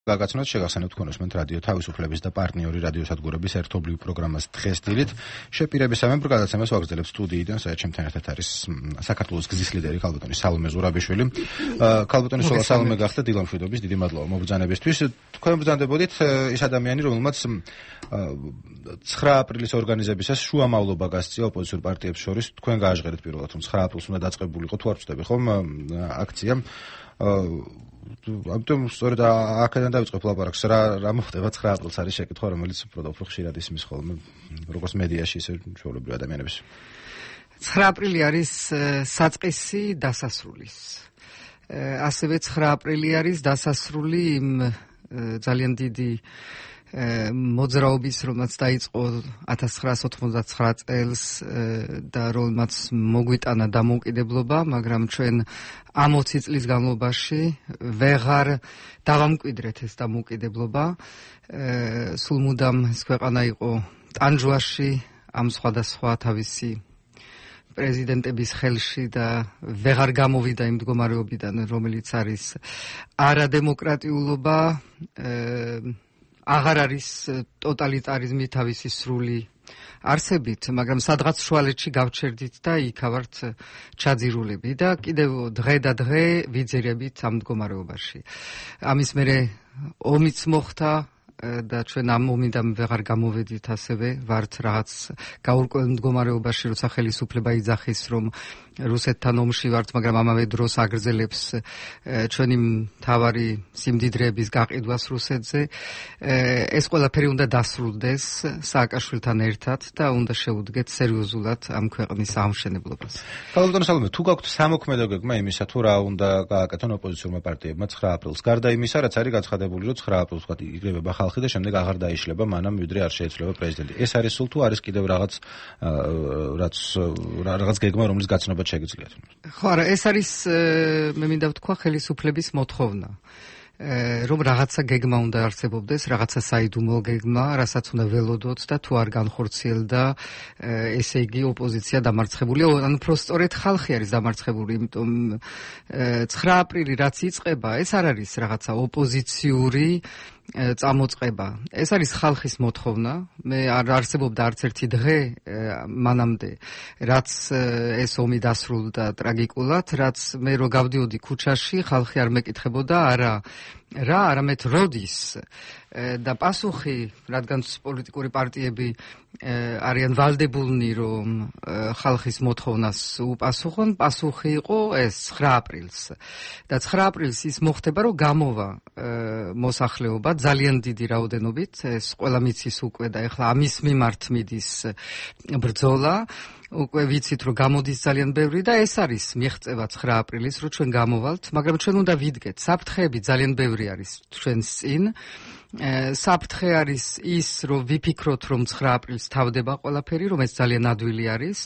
გაგაცნოთ შეგახსენებთ თქვენ უსმენთ რადიო თავისუფლების და პარტნიორი რადიოსადგურების ერთობლივ პროგრამას დღეს დილით შეპირებისამებრ გადაცემას ვაგრძელებთ სტუდიიდან, სადაც ჩემთან ერთად არის საქართველოს გზის ლიდერი ქალბატონი სალომე ზურაბიშვილი. ქალბატონი სოლა სალომე გახდა დილამშვიდობის, დიდი მადლობა მობრძანებისთვის. თქვენ ბრძანდებოდით ის ადამიანი, რომელმაც 9 აპრილის ორგანიზებისას შუა მავლობა გასწია ოპოზიციურ პარტიებს შორის. თქვენ გააჟღერეთ პირველად, რომ 9 აპრილს უნდა დაწყებულიყო, თუ არ ვწდები ხომ აქცია. ამიტომ სწორედ აქედან დავიწყებ ლაპარაკს, რა მოხდება 9 აპრილს არის შეკითხვა, რომელიც უფრო ხშირად ისმის ხოლმე როგორც მედიაში, ისე ჩვეულებრივ ადამიანების. 9 აპრილი არის საწყისი დასასრულის. ასევე 9 აპრილი არის დასასრული იმ ძალიან დიდი მოძრაობის, რომელსაც დაიწყო 1989 წელს და რომელმაც მოგვიტანა დამოუკიდებლობა, მაგრამ ჩვენ ამ 20 წლის განმავლობაში ვეღარ დავამკვიდრეთ ეს დამოუკიდებლობა. სულ მუდამ ეს ქვეყანა იყო ტანჯვაში, ამ სხვადასხვა თავისი პრეზიდენტების ხელში და ვეღარ გამოვიდა იმ მდგომარეობიდან, რომელიც არის არადემოკრატიულობა, აღარ არის ტოტალიტარიზმი თავისი სრული არსებით, მაგრამ სადღაც შუალედში გავჩერდით და იქა ვართ ჩაძირულები და კიდევ დღე და დღე ვიძირებით ამ მდგომარეობაში. ამის მერე ომიც მოხდა და ჩვენ ამ ომიდან ვეღარ გამოვედით, ასევე ვართ რაღაც გაურკვეველ მდგომარეობაში, როცა ხელისუფლება იძახის, რომ რუსეთთან ომში ვართ, მაგრამ ამავე დროს აგრძელებს ჩვენი მთავარი სიმდიდრეების გაყიდვას რუსეთზე. ეს ყველაფერი უნდა დასრულდეს სააკაშვილთან ერთად და უნდა შეუდგეთ სერიოზულად ამ ქვეყნის აღმშენებლობას. ქალბატონო სალომე, თუ გაქვთ სამოქმედო გეგმა იმისა, თუ რა უნდა გააკეთონ ოპოზიციურმა პარტიებმა 9 აპრილს, გარდა იმისა, რაც არის გაცხადებული, რომ 9 აპრილს ვთქვათ იგრევება ხალხი და შემდეგ აღარ დაიშლება მანამ, ვიდრე არ შეეცვლება პრეზიდენტი. ეს არის სულ თუ არის კიდევ რაღაც გეგმა, რომლის გაცნობა შეგიძლიათ? ხო, არა, ეს არის მე მინდა ვთქვა ხელისუფლების მოთხოვნა. რომ რაღაცა გეგმა უნდა არსებობდეს, რაღაცა საიდუმლო გეგმა, რასაც უნდა ველოდოთ და თუ არ განხორციელდა, ესე იგი ოპოზიცია დამარცხებულია, ანუ პროსტორეთ ხალხი არის დამარცხებული, იმიტომ 9 აპრილი რაც იწყება, ეს არ არის რაღაცა ოპოზიციური წამოწყება. ეს არის ხალხის მოთხოვნა. მე არ არსებობდა არც ერთი დღე მანამდე, რაც ეს ომი დასრულდა ტრაგიკულად, რაც მე რო გავდიოდი ქუჩაში, ხალხი არ მეკითხებოდა რა, არამედ როდის. და პასუხი, რადგან პოლიტიკური პარტიები არიან ვალდებულნი, რომ ხალხის მოთხოვნას უპასუხონ, პასუხი იყო ეს 9 აპრილს. და 9 აპრილს ის მოხდება, რომ გამოვა მოსახლეობა ძალიან დიდი რაოდენობით, ეს ყველა მიცის უკვე და ეხლა ამის მიმართ მიდის ბრძოლა. უკვე ვიცით, რომ გამოდის ძალიან ბევრი და ეს არის მიღწევა 9 აპრილის, რომ ჩვენ გამოვალთ, მაგრამ ჩვენ უნდა ვიდგეთ, საფრთხეები ძალიან ბევრი არის ჩვენს წინ. საფრთხე არის ის, რომ ვიფიქროთ, რომ 9 აპრილს თავდება ყველაფერი, რომ ეს ძალიან ადვილი არის.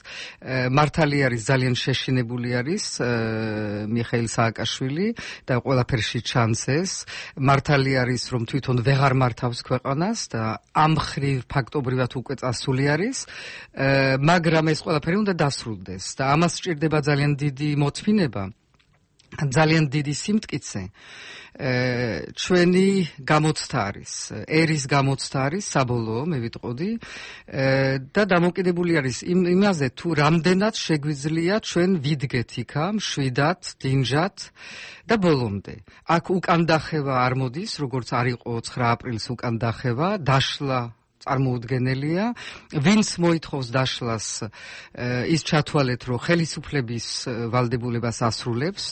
მართალი არის, ძალიან შეშინებული არის მიხეილ სააკაშვილი და ყველაფერში ჩანს ეს. მართალი არის, რომ თვითონ ვეღარ მართავს ქვეყანას და ამ მხრივ ფაქტობრივად უკვე წასული არის, მაგრამ ეს ყველაფერი უნდა დასრულდეს და ამას სჭირდება ძალიან დიდი მოთმინება, ძალიან დიდი სიმტკიცე. ჩვენი გამოცდა არის, ერის გამოცდა არის საბოლოო, მე ვიტყოდი, და დამოკიდებული არის იმაზე, თუ რამდენად შეგვიძლია ჩვენ ვიდგეთ იქა, მშვიდად, დინჯად და ბოლომდე. აქ უკან დახევა არ მოდის, როგორც არ იყო 9 აპრილს უკან დახევა, დაშლა წარმოუდგენელია. ვინც მოითხოვს დაშლას, ის ჩათვალეთ, რომ ხელისუფლების ვალდებულებას ასრულებს.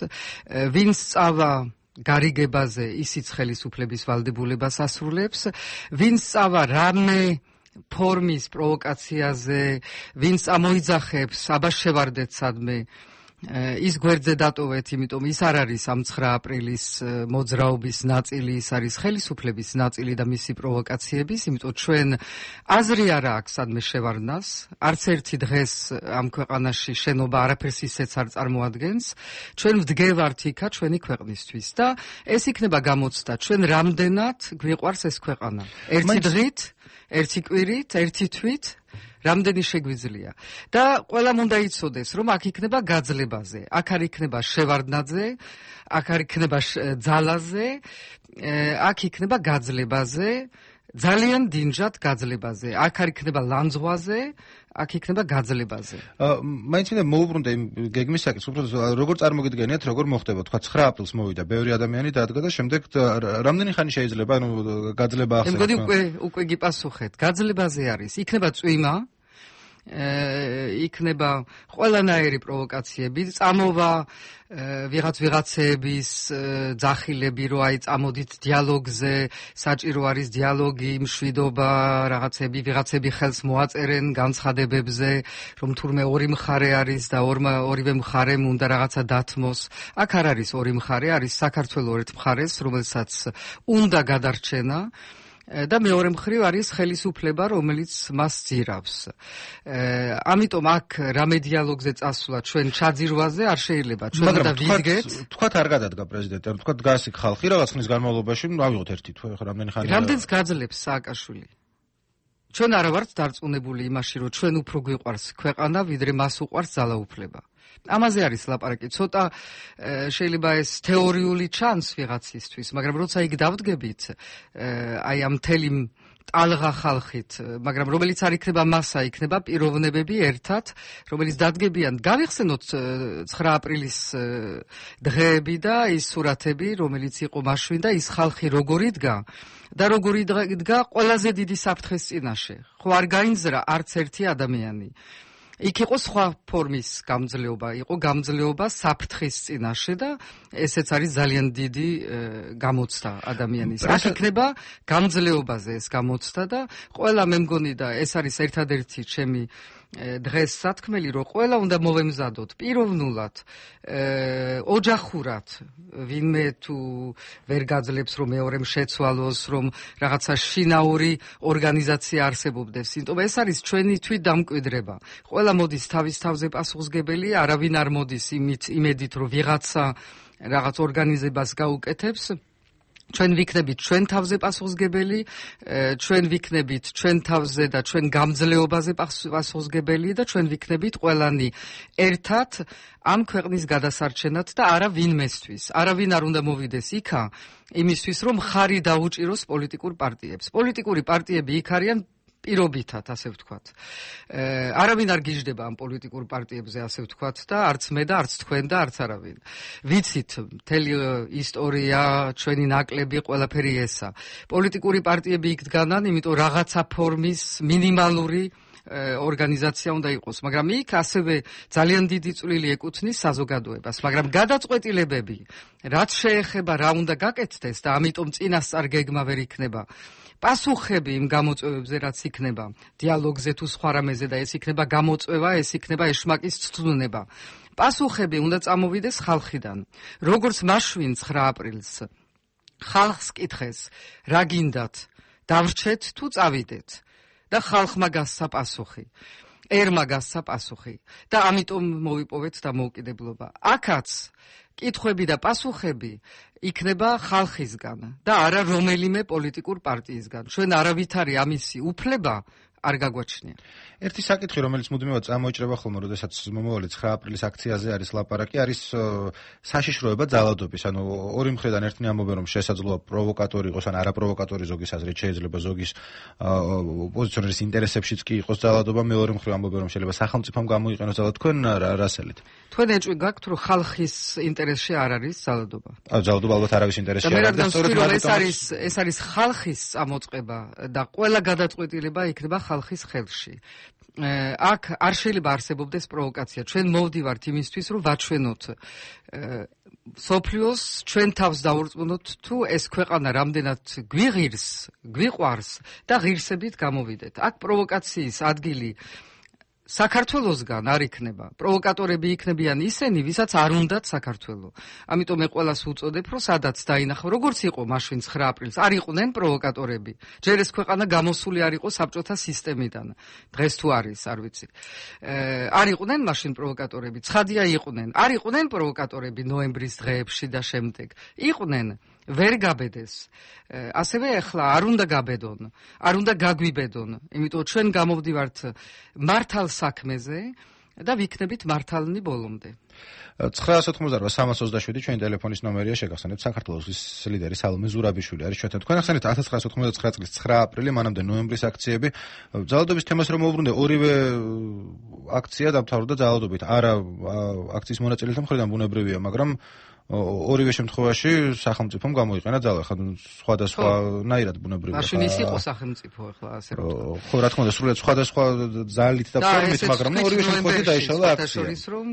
ვინც წავა გარიგებაზე, ისიც ხელისუფლების ვალდებულებას ასრულებს. ვინც წავა რამე ფორმის პროვოკაციაზე, ვინც ამოიძახებს, აბა შევარდეთ სადმე, ის გვერდზე დატოვეთ, იმიტომ ის არ არის ამ 9 აპრილის მოძრაობის ნაწილი, ის არის ხელისუფლების ნაწილი და მისი პროვოკაციების, იმიტომ ჩვენ აზრი არა აქვს სადმე შევარდნას, არც ერთი დღეს ამ ქვეყანაში შენობა არაფერს ისეც არ წარმოადგენს, ჩვენ ვდგევართ იქა ჩვენი ქვეყნისთვის და ეს იქნება გამოცდა, ჩვენ რამდენად გვიყვარს ეს ქვეყანა. ერთი დღით, ერთი კვირით, ერთი თვით რამდენი შეგვიძლია და ყველამ უნდა იცოდეს რომ აქ იქნება გაძლებაზე, აქ არ იქნება შევარდნაძე, აქ არ იქნება ძალაზე, აქ იქნება გაძლებაზე, ძალიან დინჯად გაძლებაზე, აქ არ იქნება ლანძღვაზე, აქ იქნება გაძლებაზე. მაინც მინდა მოუბრუნდე იმ გეგმის საკითხს, უბრალოდ როგორ წარმოგიდგენიათ, როგორ მოხდება, თქვა 9 აპრილს მოვიდა, ბევრი ადამიანი დადგა და შემდეგ რამდენი ხანი შეიძლება, გაძლება ახსენოთ. მე მგონი უკვე გიპასუხეთ. გაძლებაზე არის, იქნება წვიმა, იქნება ყველანაირი პროვოკაციები, წამოვა ვიღაცების ძახილები, რომ აი წამოდით დიალოგზე, საჭირო არის დიალოგი, მშვიდობა, რაღაცები, ვიღაცები ხელს მოაწერენ განცხადებებზე, რომ თურმე ორი მხარე არის და ორივე მხარემ უნდა რაღაცა დათმოს. აქ არ არის ორი მხარე, არის საქართველოს ერთ მხარეს, რომელსაც უნდა გადარჩენა. და მეორე მხრივ არის ხელისუფლება, რომელიც მას ძირავს. ამიტომ აქ რამე დიალოგზე წასვლა ჩვენ ჩაძირვაზე არ შეიძლება. ჩვენ უნდა ვიდგეთ. თქვათ არ გადადგა პრეზიდენტი, თქვათ დგას იქ ხალხი რაღაც ხნის განმავლობაში, ავიღოთ ერთი თვე, რამდენი ხანი. რამდენს გაძლებს სააკაშვილი? ჩვენ არა ვართ დარწმუნებული იმაში, რომ ჩვენ უფრო გვიყვარს ქვეყანა, ვიდრე მას უყვარს ძალაუფლება. ამაზე არის ლაპარაკი. ცოტა შეიძლება ეს თეორიული ჩანს ვიღაცისთვის, მაგრამ როცა იქ დავდგებით, აი ამ მთელი ტალღა ხალხით, მაგრამ რომელიც არ იქნება მასა, იქნება პიროვნებები ერთად, რომელიც დადგებიან. გავიხსენოთ 9 აპრილის დღეები და ის სურათები, რომელიც იყო მაშინ და ის ხალხი როგორი დგა და როგორი დგა ყველაზე დიდი საფრთხის წინაშე. ხო არ გაინძრა არც ერთი ადამიანი. იქ იყო სხვა ფორმის გამძლეობა, იყო გამძლეობა საფრთხის წინაშე და ესეც არის ძალიან დიდი გამოცდა ადამიანის. აქ იქნება გამძლეობაზე ეს გამოცდა და ყველა მე მგონი და ეს არის ერთადერთი ჩემი დღეს სათქმელი, რომ ყველა უნდა მოვემზადოთ პიროვნულად, ოჯახურად, ვინმე თუ ვერ გაძლებს, რომ მეორემ შეცვალოს, რომ რაღაცა შინაური ორგანიზაცია არსებობდეს. იმიტომ ეს არის ჩვენი თვითდამკვიდრება. ყველა მოდის თავის თავზე პასუხისგებელი, არავინ არ მოდის იმედით, რომ ვიღაცა რაღაც ორგანიზებას გაუკეთებს. ჩვენ ვიქნებით ჩვენ თავზე პასუხისგებელი, ჩვენ ვიქნებით ჩვენ თავზე და ჩვენ გამძლეობაზე პასუხისგებელი და ჩვენ ვიქნებით ყველანი ერთად ამ ქვეყნის გადასარჩენად და არა ვინმესთვის. არავინ არ უნდა მოვიდეს იქა იმისთვის, რომ ხარი დაუჭიროს პოლიტიკურ პარტიებს. პოლიტიკური პარტიები იქ არიან პირობითად, ასე ვთქვათ. არავინ არ გიждდება ამ პოლიტიკურ პარტიებზე, ასე ვთქვათ და არც მე და არც თქვენ და არც არავინ. ვიცით, მთელი ისტორია, ჩვენი ნაკლები, ყველაფერი ესა. პოლიტიკური პარტიები იქ დგანან, იმიტომ რაღაცა ფორმის მინიმალური ორგანიზაცია უნდა იყოს, მაგრამ იქ ასევე ძალიან დიდი წვლილი ეკუთვნის საზოგადოებას, მაგრამ გადაწყვეტილებები, რაც შეეხება რა უნდა გაკეთდეს და ამიტომ წინასწარ გეგმა ვერ იქნება. პასუხები იმ გამოწვევებზე, რაც იქნება დიალოგზე თუ სხვა რამეზე და ეს იქნება გამოწვევა, ეს იქნება ეშმაკის ცვლინება. პასუხები უნდა წამოვიდეს ხალხიდან. როგორც მაშინ 9 აპრილს ხალხს კითხეს, რა გინდათ, დავრჩეთ თუ წავიდეთ და ხალხმა გასცა პასუხი. ერმა გასცა პასუხი და ამიტომ მოვიპოვეთ დამოუკიდებლობა. აქაც კითხვები და პასუხები იქნება ხალხისგან და არა რომელიმე პოლიტიკურ პარტიისგან. ჩვენ არავითარი ამისი უფლება არ გაგვაჩნია. ერთი საკითხი, რომელიც მუდმივად წამოიჭრება ხოლმე, როდესაც მომავალი 9 აპრილის აქციაზე არის ლაპარაკი, არის საშიშროება ძალადობის. ანუ ორი მხრიდან ერთნი ამბობენ, რომ შესაძლოა პროვოკატორი იყოს, ან არაპროვოკატორი ზოგის აზრით შეიძლება ზოგის ოპოზიციონერის ინტერესებშიც კი იყოს ძალადობა, მეორე მხრიდან ამბობენ, რომ შეიძლება სახელმწიფომ გამოიყენოს ძალადობა. თქვენ რას ელით? თქვენ ეჭვი გაქვთ, რომ ხალხის ინტერესში არ არის ძალადობა. ძალადობა ალბათ არავის ინტერესში არ არის. ეს არის ხალხის წამოწყება და ყველა გადაწყვეტილება იქნება ხალხის ხელში. აქ არ შეიძლება არსებობდეს პროვოკაცია. ჩვენ მოვდივართ იმისთვის, რომ ვაჩვენოთ სოფლიოს ჩვენ თავს დავურწმუნოთ, თუ ეს ქვეყანა რამდენად გვიღირს, გვიყვარს და ღირსებით გამოვიდეთ. აქ პროვოკაციის ადგილი საქართველოსგან არ იქნება. პროვოკატორები იქნებიან ისინი, ვისაც არ უნდათ საქართველო. ამიტომ მე ყველას უწოდებ, რომ სადაც დაინახო, როგორც იყო მაშინ 9 აპრილს, არ იყვნენ პროვოკატორები. ჯერ ეს ქვეყანა გამოსული არ იყო საბჭოთა სისტემიდან. დღეს თუ არის, არ ვიცი. არ იყვნენ მაშინ პროვოკატორები. ცხადია იყვნენ. არ იყვნენ პროვოკატორები ნოემბრის დღეებში და შემდეგ. იყვნენ ვერ გაბედეს. ასევე ახლა არ უნდა გაბედონ, არ უნდა გაგვიბედონ, იმიტომ ჩვენ გამოვდივართ მართალ საქმეზე და ვიქნებით მართალნი ბოლომდე. 988-327 ჩვენი ტელეფონის ნომერია, შეგახსენებთ, საქართველოს ლიდერი სალომე ზურაბიშვილი არის ჩვენთან. თქვენ ახსენეთ 1999 წლის 9 აპრილი, მანამდე ნოემბრის აქციები. ძალადობის თემას რომ მოვუბრუნდე, ორივე აქცია დამთავრდა ძალადობით. არა აქციის მონაწილეთა მხრიდან ბუნებრივია, მაგრამ ორივე შემთხვევაში სახელმწიფომ გამოიყენა ძალა, ხა სხვადასხვანაირად ბუნებრივია. მაშინ ის იყო სახელმწიფო, ახლა ასე რომ. ხო, რა თქმა უნდა, სრულად სხვადასხვა ძალით და ფორმით, მაგრამ ორივე შემთხვევაში დაიშალა აქცია. შორის რომ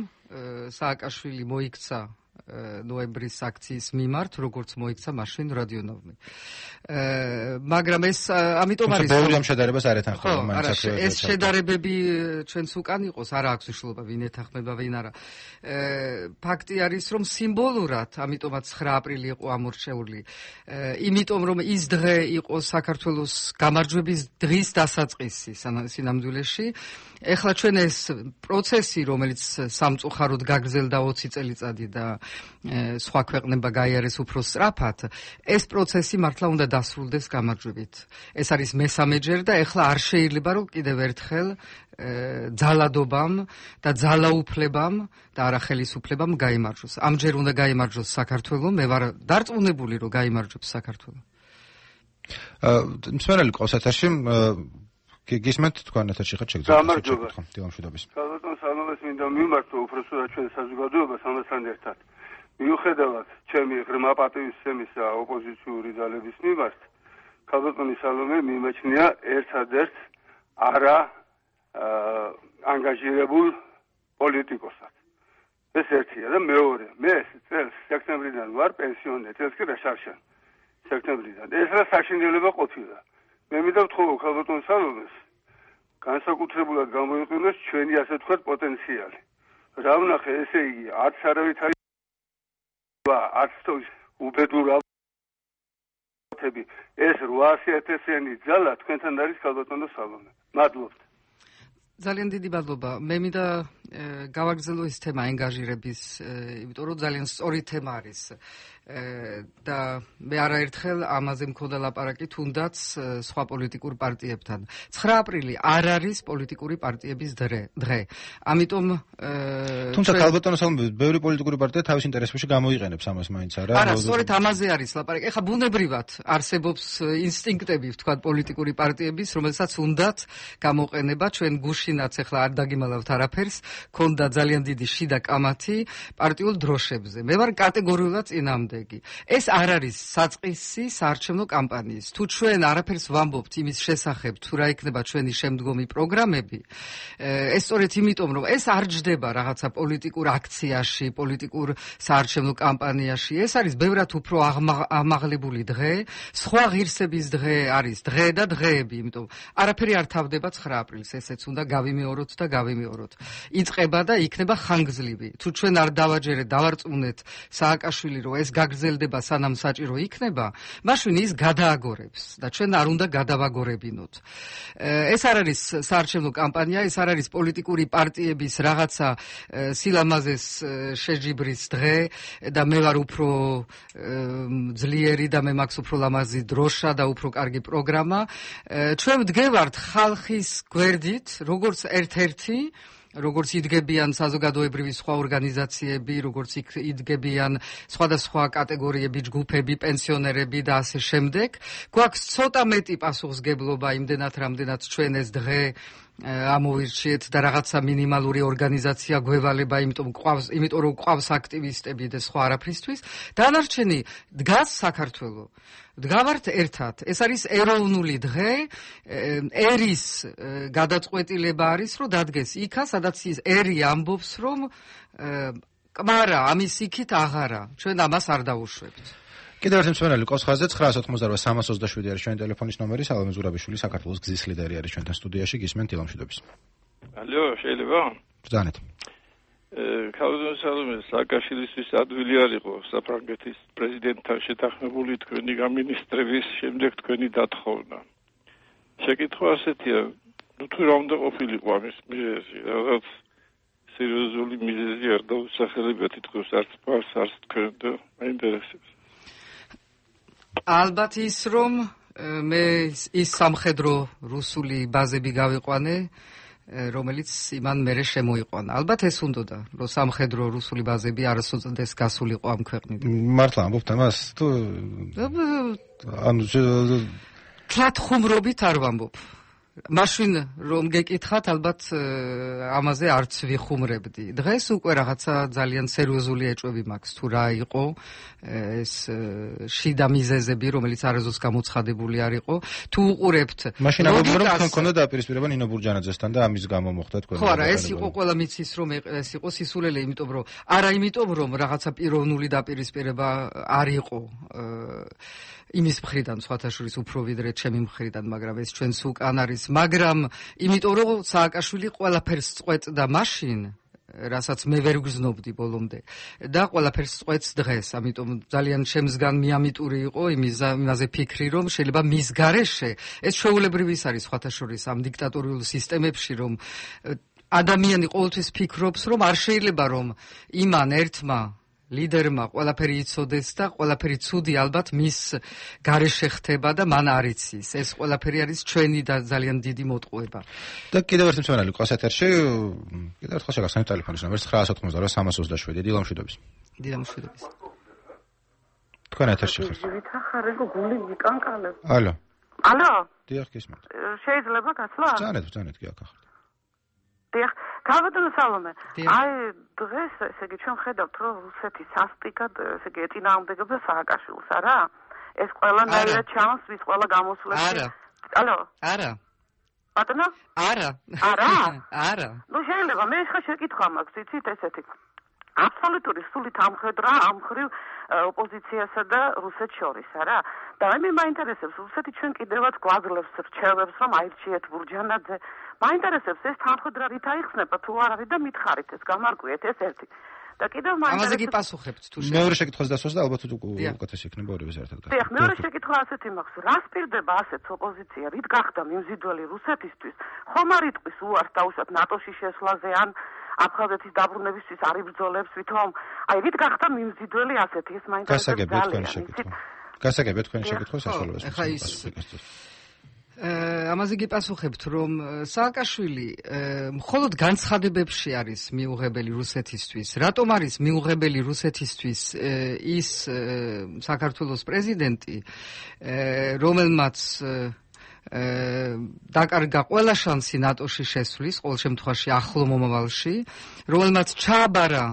სააკაშვილი მოიქცა ნოემბრის აქციის მიმართ, როგორც მოიქცა მაშინ რადიონავმი. მაგრამ ეს ამიტომ არის ბევრი ამ შედარებას არ ეთანხმება მაინც აქ. ეს შედარებები ჩვენც უკან იყოს, არა აქვს მნიშვნელობა ვინ ეთანხმება, ვინ არა. ფაქტი არის, რომ სიმბოლურად, ამიტომაც 9 აპრილი იყო ამორჩეული. იმიტომ რომ ის დღე იყო საქართველოს გამარჯვების დღის დასაწყისი სინამდვილეში. ეხლა ჩვენ ეს პროცესი, რომელიც სამწუხაროდ გაგრძელდა 20 წელიწადი და სხვა ქვეყნება გაიარეს უფრო სწრაფად, ეს პროცესი მართლა უნდა დასრულდეს გამარჯვებით. ეს არის მესამეჯერ და ეხლა არ შეიძლება რომ კიდევ ერთხელ ძალადობამ და ძალაუფლებამ და არა ხელისუფლებამ გაიმარჯვოს. ამჯერ უნდა გაიმარჯვოს საქართველო, მე ვარ დარწმუნებული რომ გაიმარჯვებს საქართველო. მსმენელი ყავს ეთერში, გისმენთ თქვენ ეთერში ხართ შეგძლებთ. გამარჯობა. დილამშვიდობის. საბატონო სალომეს მინდა მიმართო უпроსტად ჩვენ საზოგადოებას ამასთან ერთად. მიუხედავად ჩემი ღრმა პატივისცემისა ოპოზიციური ძალების მიმართ, საბატონო სალომე მიმაჩნია ერთადერთ არა ანგაჟირებულ პოლიტიკოსად. ეს ერთია და მეორე, მე წელს სექტემბრიდან ვარ პენსიონერი, წელს კი რაშარშან სექტემბრიდან. ეს რა საშინელება ყოფილა. მე მინდა ვთხოვო საბატონო სალომეს განსაკუთრებულად გამოიყენოს ჩვენი ასე ვთქვათ პოტენციალი. რა ვნახე, ესე იგი, არც არავითარი არც უბედურებები, ეს 800.000-იანი ძალა თქვენთან არის საბატონო სალომე. მადლობთ. ძალიან დიდი მადლობა. მე მინდა გავაგრძელო ეს თემა ანგაჟირების, იმიტომ რომ ძალიან სწორი თემა არის. და მე არაერთხელ ამაზე მქონდა ლაპარაკი თუნდაც სხვა პოლიტიკურ პარტიებთან. 9 აპრილი არ არის პოლიტიკური პარტიების დღე. ამიტომ თუმცა ალბათონო სალომე ბევრი პოლიტიკური პარტია თავის ინტერესებში გამოიყენებს ამას მაინც არა. არა, სწორედ ამაზე არის ლაპარაკი. ეხლა ბუნებრივად არსებობს ინსტინქტები, ვთქვათ, პოლიტიკური პარტიების, რომელსაც უნდათ გამოყენება. ჩვენ გუშინაც ეხლა არ დაგიმალავთ არაფერს, ქონდა ძალიან დიდი შიდა კამათი პარტიულ დროშებზე. მე ვარ კატეგორიულად წინამდე. ეს არ არის საწყისი საარჩევნო კამპანიის. თუ ჩვენ არაფერს ვამბობთ იმის შესახებ, თუ რა იქნება ჩვენი შემდგომი პროგრამები, ეს სწორედ იმიტომ, რომ ეს არ ჯდება რაღაცა პოლიტიკურ აქციაში, პოლიტიკურ საარჩევნო კამპანიაში. ეს არის ბევრად უფრო ამაღლებული დღე, სხვა ღირსების დღე არის დღე და დღეები, იმიტომ არაფერი არ თავდება 9 აპრილს, ესეც უნდა გავიმეოროთ და გავიმეოროთ. იწყება და იქნება ხანგრძლივი. თუ ჩვენ არ დავაჯერეთ, დავარწმუნეთ სააკაშვილი, რომ ეს გაგრძელდება სანამ საჭირო იქნება, მაშინ ის გადააგორებს და ჩვენ არ უნდა გადავაგორებინოთ. ეს არ არის საარჩევნო კამპანია, ეს არ არის პოლიტიკური პარტიების რაღაცა სილამაზეს შეჯიბრის დღე და მე ვარ უფრო ძლიერი და მე მაქვს უფრო ლამაზი დროშა და უფრო კარგი პროგრამა. ჩვენ ვდგევართ ხალხის გვერდით, როგორც ერთ-ერთი, როგორც იდგებიან საზოგადოებრივი სხვა ორგანიზაციები, როგორც იდგებიან სხვადასხვა კატეგორიები, ჯგუფები, პენსიონერები და ასე შემდეგ. გვაქვს ცოტა მეტი პასუხისგებლობა იმდენად, რამდენად ჩვენ ეს დღე ამოვირჩიეთ და რაღაცა მინიმალური ორგანიზაცია გვევალება, იმიტომ რომ გვყავს აქტივისტები და სხვა არაფრისთვის. დანარჩენი დგას საქართველო. დგავართ ერთად. ეს არის ეროვნული დღე, ერის გადაწყვეტილება არის, რომ დადგეს იქა, სადაც ის ერი ამბობს, რომ კმარა ამის იქით აღარა. ჩვენ ამას არ დავუშვებთ. კიდევ ერთი მსმენელი ყავს ხაზზე 988-327 არის ჩვენი ტელეფონის ნომერი. სალომე ზურაბიშვილი, საქართველოს გზის ლიდერი არის ჩვენთან სტუდიაში. გისმენთ დილამშვიდობის. ალო, შეიძლება? ბრძანეთ. ქალბატონო სალომე, სააკაშვილისთვის ადვილი არ იყო საფრანგეთის პრეზიდენტთან შეთანხმებული თქვენი გამინისტრების შემდეგ თქვენი დათხოვნა. შეკითხვა ასეთია, თუ რა უნდა ყოფილიყო ამის მიზეზი, რაღაც სერიოზული მიზეზი არ დაუსახელებია თითქოს არც პარს, არც თქვენ და მაინტერესებს. ალბათ ის რომ მე ის სამხედრო რუსული ბაზები გავიყვანე რომელიც იმან მერე შემოიყვანა. ალბათ ეს უნდოდა, რომ სამხედრო რუსული ბაზები არასოდეს გასულიყო ამ ქვეყნიდან. მართლა ამბობთ ამას თუ ანუ თლათ ხუმრობით არ ვამბობ. მაშინ რომ გეკითხათ, ალბათ ამაზე არც ვიხუმრებდი. დღეს უკვე რაღაცა ძალიან სერიოზული ეჭვები მაქვს თუ რა იყო ეს შიდა მიზეზები, რომელიც არასოდეს გამოცხადებული არ იყო. თუ უყურებთ, მაშინ ამბობთ რომ თქვენ ქონდა დაპირისპირება ნინო ბურჯანაძესთან და ამის გამო მოხდა თქვენ. ხო, არა, ეს იყო ყველა მიცის რომ ეს იყო სისულელე, იმიტომ რომ არა იმიტომ რომ რაღაცა პიროვნული დაპირისპირება არ იყო იმის მხრიდან, სხვათა შორის უფრო ვიდრე ჩემი მხრიდან, მაგრამ ეს ჩვენს უკან არის, მაგრამ იმიტომ რომ სააკაშვილი ყველაფერს წყვეტდა მაშინ, რასაც მე ვერ გრძნობდი ბოლომდე და ყველაფერს წყვეტს დღეს, ამიტომ ძალიან შემსგან მიამიტური იყო იმაზე ფიქრი, რომ შეიძლება მის გარეშე ეს ჩვეულებრივი არის სხვათა შორის ამ დიქტატორიულ სისტემებში, რომ ადამიანი ყოველთვის ფიქრობს, რომ არ შეიძლება რომ იმან ერთმა ლიდერმა ყველაფერი იცოდეს და ყველაფერი ცუდი ალბათ მის გარეშე ხდება და მან არ იცის. ეს ყველაფერი არის ჩვენი და ძალიან დიდი მოტყუება. და კიდევ ერთი მსმენელი ყავს ეთერში. კიდევ ერთხელ შეგახსენებთ ტელეფონის ნომერს 988 დილა მშვიდობის. დილა მშვიდობის. თქვენ ეთერში ხართ. ვითახარებ გული მიკანკალებ. ალო. ალო. დიახ, გისმენთ. შეიძლება გასვლა? ძალიან კი აქ ახლა. დიახ, გავადო სალომე. აი დღეს ესე იგი ჩვენ ხედავთ რომ რუსეთი სასტიკად ესე იგი ეწინააღმდეგება სააკაშვილს, არა? ეს ყველანაირად ჩანს, ვის ყველა გამოსვლებში. არა. ალო. არა. ბატონო? არა. არა? არა. ნუ შეიძლება მე ხა შეკითხვა მაქვს, იცით ესეთი. აბსოლუტური სულით ამხედრა ამ ხრივ ოპოზიციასა და რუსეთს შორის, არა? და მე მაინტერესებს რუსეთი ჩვენ კიდევაც გვაძლევს რჩევებს რომ აირჩიეთ ბურჯანაძე. მაინტერესებს ეს თანხმდრა რით აიხსნება თუ არ არის და მითხარით ეს გამარკვიეთ ეს ერთი. და კიდევ მაინტერესებს ამაზე გიპასუხებთ თუ შეიძლება. მეორე შეკითხვის დასვას და ალბათ უკეთესი იქნება ორივე საერთოდ. დიახ, მეორე შეკითხვა ასეთი მაქვს. რას პირდება ასეთ ოპოზიცია? რით გახდა მიმზიდველი რუსეთისთვის? ხომ არ იტყვის უარს დაუშვათ ნატოში შესვლაზე ან აფხაზეთის დაბრუნებისთვის არ იბრძოლებს ვითომ? აი რით გახდა მიმზიდველი ასეთი? ეს მაინტერესებს ძალიან. გასაგებია თქვენი შეკითხვა საშუალებას. ახლა ის ამაზე გიპასუხებთ რომ სააკაშვილი მხოლოდ განცხადებებში არის მიუღებელი რუსეთისთვის. რატომ არის მიუღებელი რუსეთისთვის ის საქართველოს პრეზიდენტი, რომელმაც დაკარგა ყველა შანსი ნატოში შესვლის, ყოველ შემთხვევაში ახლო მომავალში, რომელმაც ჩააბარა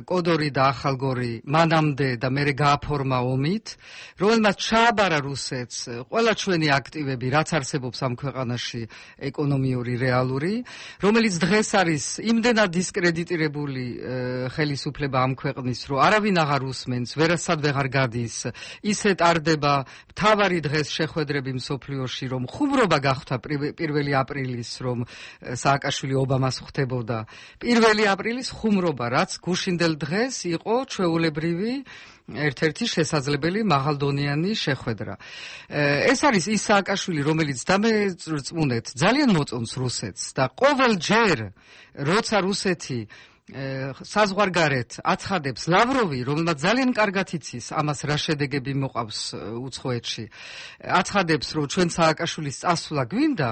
კოდორი და ახალგორი მანამდე და მერე გააფორმა ომით, რომელმაც ჩააბარა რუსეთს ყველა ჩვენი აქტივები, რაც არსებობს ამ ქვეყანაში ეკონომიური, რეალური, რომელიც დღეს არის იმდენად დისკრედიტირებული ხელისუფლება ამ ქვეყნის, რომ არავინ აღარ უსმენს, ვერასად ვეღარ გადის, ისე ტარდება მთავარი დღეს შეხვედრები მსოფლიოში, რომ ხუმრობა გახდა 1 აპრილის, რომ სააკაშვილი ობამას ხვდებოდა. 1 აპრილის ხუმრობა, რაც გუშინდელ დღეს იყო ჩვეულებრივი ერთ-ერთი შესაძლებელი მაღალდონიანი შეხვედრა. ეს არის ის სააკაშვილი, რომელიც დამეწმუნეთ ძალიან მოწონს რუსეთს და ყოველჯერ როცა რუსეთი საზღვარგარეთ აცხადებს ლავროვი, რომელმაც ძალიან კარგად იცის ამას რა შედეგები მოყავს უცხოეთში, აცხადებს, რომ ჩვენ სააკაშვილის წასვლა გვინდა,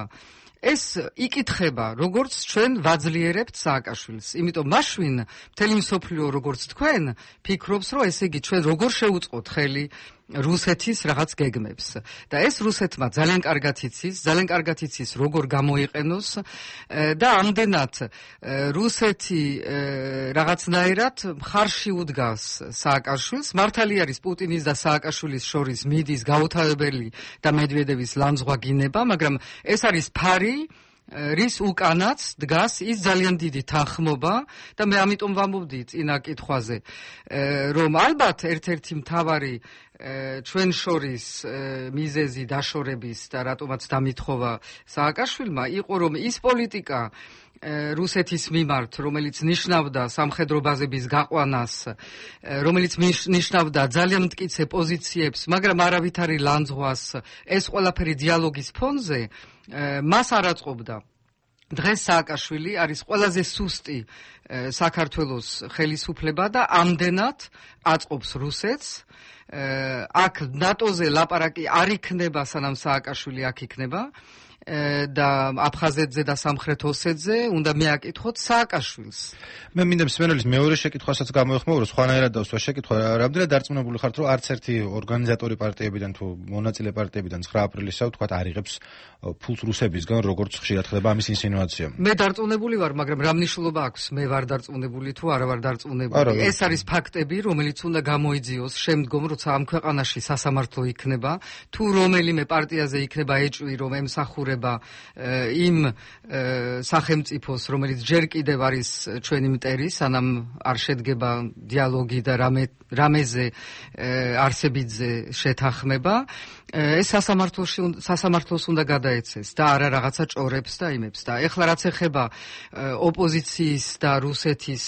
ეს იკითხება, როგორც ჩვენ ვაძლიერებთ სააკაშვილს. იმიტომ მაშინ მთელი მსოფლიო როგორც თქვენ ფიქრობს, რომ ესე იგი ჩვენ როგორ შევუწყოთ ხელი რუსეთის რაღაც გეგმებს. და ეს რუსეთმა ძალიან კარგად იცის, როგორ გამოიყენოს და ამდენად რუსეთი რაღაცნაირად მხარში უდგას სააკაშვილს. მართალი არის პუტინის და სააკაშვილის შორის მიდის გაუთავებელი და მედვედევის ლანძღვა გინება, მაგრამ ეს არის ფარი, რის უკანაც დგას ის ძალიან დიდი თანხმობა და მე ამიტომ ვამბობდი წინა კითხვაზე, რომ ალბათ ერთ-ერთი მთავარი ჩვენ შორის მიზეზი დაშორების და რატომაც დამითხოვა სააკაშვილმა იყო, რომ ის პოლიტიკა რუსეთის მიმართ, რომელიც ნიშნავდა სამხედრო ბაზების გაყვანას, რომელიც ნიშნავდა ძალიან მტკიცე პოზიციებს, მაგრამ არავითარი ლანძღვას, ეს ყველაფერი დიალოგის ფონზე მას არ აწყობდა დღეს სააკაშვილი არის ყველაზე სუსტი საქართველოს ხელისუფლება და ამდენად აწყობს რუსეთს. აქ ნატოზე ლაპარაკი არ იქნება, სანამ სააკაშვილი აქ იქნება. და აფხაზეთზე და სამხრეთ ოსეთზე უნდა მეაკითხოთ სააკაშვილს. მე მინდა მსმენელის მეორე შეკითხვასაც გამოეხმოვრო, სხვანაირად დავსვა შეკითხვა, რამდენად დარწმუნებული ხართ, რომ არც ერთი ორგანიზატორი პარტიებიდან თუ მონაწილე პარტიებიდან 9 აპრილისსა თქვათ არ იღებს ფულს რუსებისგან, როგორც ხშირად ხდება ამის ინსინუაცია. მე დარწმუნებული ვარ, მაგრამ რა მნიშვნელობა აქვს მე ვარ დარწმუნებული თუ არა ვარ დარწმუნებული. ეს არის ფაქტები, რომელიც უნდა გამოიძიოს შემდგომ, როცა ამ ქვეყანაში სასამართლო იქნება, თუ რომელიმე პარტიაზე იქნება ეჭვი, რომ ემსახურება იმ სახელმწიფოს, რომელიც ჯერ კიდევ არის ჩვენი მტერი, სანამ არ შედგება დიალოგი და რამეზე არსებითზე შეთანხმება, ეს სასამართლოს უნდა გადაეცეს და არა რაღაცა ჭორებს და იმებს. და ეხლა რაც ეხება ოპოზიციის და რუსეთის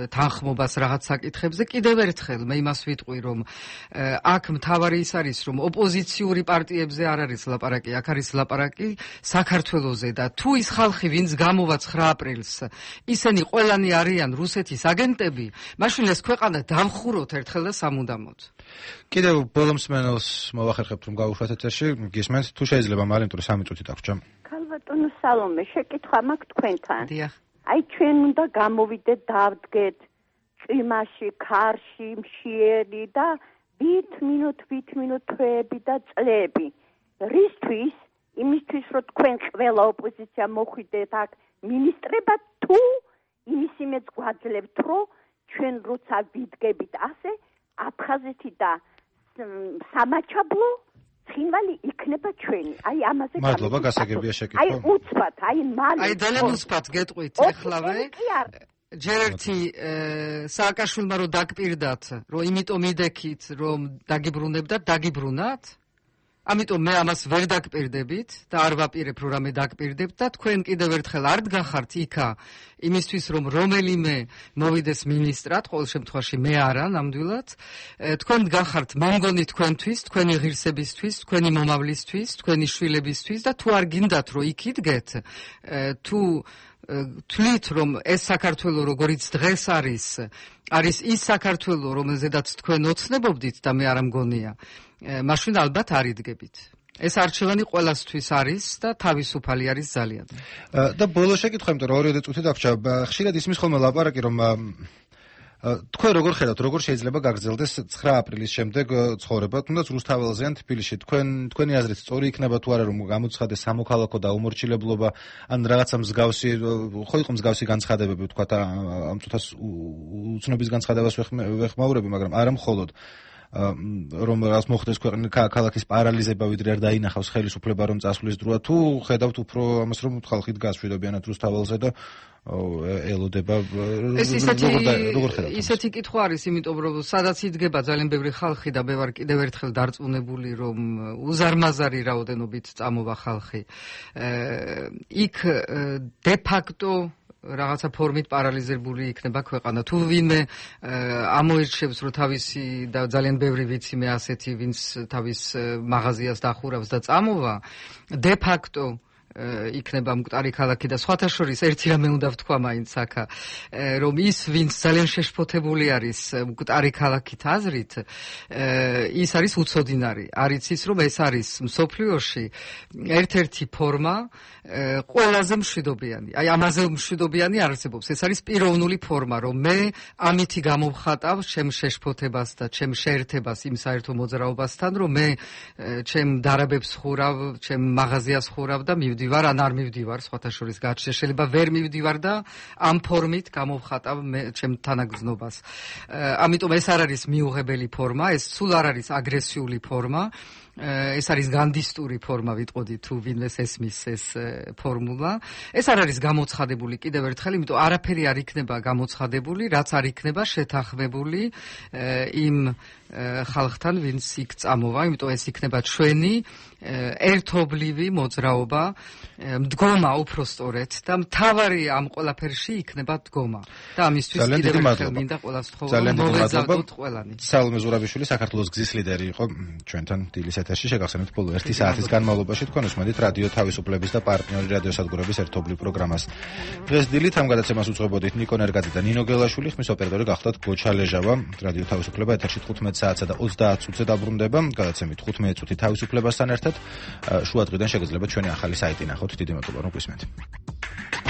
თანხმობას რაღაც საკითხებზე, კიდევ ერთხელ მე იმას ვიტყვი, რომ აქ მთავარი ის არის, რომ ოპოზიციური პარტიებზე არ არის ლაპარაკი, აქ არის ლაპარაკი საქართველოზე და თუ ის ხალხი, ვინც გამოვა 9 აპრილს, ისინი ყველანი არიან რუსეთის აგენტები, მაშინ ეს ქვეყანა დავხუროთ ერთხელ და სამუდამოდ. კიდევ ბოლო მსმენელს მოვახერხებთ, რომ გავუშვათ ეთერში, გისმენთ, თუ შეიძლება მალინტური 3 წუთი დაგვრჩა. ქალბატონო სალომე, შეკითხვა მაქვს თქვენთან. დიახ. აი ჩვენ უნდა გამოვიდეთ, დავდგეთ ჭიმაში, ქარში, მშიერი და ვით მინუტ თვეები და წლები. რისთვის? იმისთვის, რომ თქვენ ყველა ოპოზიცია მოხვიდეთ აქ მინისტრებად, თუ იმის იმედს გვაძლევთ, რომ ჩვენ როცა ვიდგებით ასე, აფხაზეთი და სამაჩაბლო ცხინვალი იქნება ჩვენი. აი ამაზე მადლობა, გასაგებია შეკითხვა. აი უცბად, აი მალე. აი ძალიან უცბად გეტყვით ეხლავე. ჯერ ერთი სააკაშვილმა რომ დაგპირდათ, რომ იმიტომ იდექით, რომ დაგიბრუნებდათ, დაგიბრუნათ. ამიტომ მე ამას ვერ დაგპირდებით და არ ვაპირებ რომ რამე დაგპირდებთ და თქვენ კიდევ ერთხელ არ დგახართ იქა იმისთვის რომ რომელიმე მოვიდეს მინისტრად, ყოველ შემთხვევაში მე არა ნამდვილად. თქვენ დგახართ მომგონი თქვენთვის, თქვენი ღირსებისთვის, თქვენი მომავლისთვის, თქვენი შვილებისთვის და თუ არ გინდათ რომ იქ იდგეთ, თუ თვლით რომ ეს საქართველო როგორც დღეს არის ის საქართველო რომელზედაც თქვენ ოცნებობდით და მე არ მგონია, მაშინ ალბათ არ იდგებით. ეს არჩევანი ყველასთვის არის და თავისუფალი არის ძალიან. და ბოლო შეკითხვა, იმიტომ რომ 2 წუთი დაგვრჩა, ხშირად ისმის ხოლმე ლაპარაკი, რომ თქვენ როგორ ხედავთ, როგორ შეიძლება გაგრძელდეს 9 აპრილის შემდეგ ცხოვრება, თუნდაც რუსთაველზე ან თბილისში, თქვენი აზრით სწორი იქნება თუ არა, რომ გამოცხადდეს სამოქალაქო და უმორჩილებლობა, ან რაღაცა მსგავსი, ხო იყო მსგავსი განცხადებები, თქვათ ამ წუთას უცნობის განცხადებას ვეხმაურები, მაგრამ არა მხოლოდ რომ რას მოხდეს ქალაქის პარალიზება, ვიდრე არ დაინახავს ხელისუფლება რომ წასვლის დროა, თუ ხედავთ უფრო ამას, რომ ხალხი დგას მშვიდობიანად რუსთაველზე და ელოდება, როგორ ხედავთ? ისეთი კითხვა არის, იმიტომ რომ სადაც იდგება ძალიან ბევრი ხალხი და მე ვარ კიდევ ერთხელ დარწმუნებული, რომ უზარმაზარი რაოდენობით წამოვა ხალხი. იქ დე ფაქტო რაღაცა ფორმით პარალიზებული იქნება ქვეყანა. თუ ვინმე ამოირჩევს, რომ თავისი და ძალიან ბევრი ვიცი მე ასეთი, ვინც თავის მაღაზიას დახურავს და წამოვა, დე ფაქტო იქნება მკვდარი ქალაქი და სხვათა შორის ერთი რამე უნდა ვთქვა მაინც აქა, რომ ის ვინც ძალიან შეშფოთებული არის მკვდარი ქალაქით აზრით, ის არის უცოდინარი. არის ის, რომ ეს არის მსოფლიოში ერთ-ერთი ფორმა ყველაზე მშვიდობიანი. აი ამაზე მშვიდობიანი არსებობს. ეს არის პიროვნული ფორმა, რომ მე ამითი გამოვხატავ ჩემ შეშფოთებას და ჩემ შეერთებას იმ საერთო მოძრაობასთან, რომ მე ჩემ დარაბებს ხურავ, ჩემ მაღაზიას ხურავ და მივდივარ, ან არ მივდივარ, სხვათა შორის გაჩნდა, შეიძლება ვერ მივდივარ და ამ ფორმით გამოვხატავ მე ჩემ თანაგრძნობას. ამიტომ ეს არ არის მიუღებელი ფორმა, ეს სულ არ არის აგრესიული ფორმა. ეს არის განდისტური ფორმა, ვიტყოდი თუ ვინმეს ესმის ეს ფორმულა. ეს არ არის გამოცხადებული კიდევ ერთხელ, იმიტომ არაფერი არ იქნება გამოცხადებული, რაც არ იქნება შეთანხმებული იმ ხალხთან, ვინც იქ წამოვა, იმიტომ ეს იქნება ჩვენი ერთობლივი მოძრაობა მდგომა უпростоრეთ და მთავარი ამ ყველაფერში იქნება მდგომა. და ამისთვის კიდევ ერთხელ მინდა ყველას თხოვნა მოვეზავდოთ ყველანი. სალომე ზურაბიშვილი საქართველოს გზის ლიდერი იყო ჩვენთან დილის ეთერში. შეგახსენებთ ბოლო 1 საათის განმავლობაში თქვენ უსმენთ რადიო თავისუფლების და პარტნიორი რადიოსადგურების ერთობლივ პროგრამას. დღეს დილით ამ გადაცემას უძღვებოდით ნიკო ნერგაძე და ნინო გელაშვილი, ხმის ოპერატორი გახდათ გოჩა ლეჟავა. რადიო თავისუფლება ეთერში 15 საათსა და 30 წუთზე დაბრუნდება. გადაცემით 15 წუთი თავისუფლებასთან ერთად. შუადღიდან შეგიძლიათ ჩვენი ახალი საიტი ნახოთ. დიდი მადლობა რომ გვისმენთ.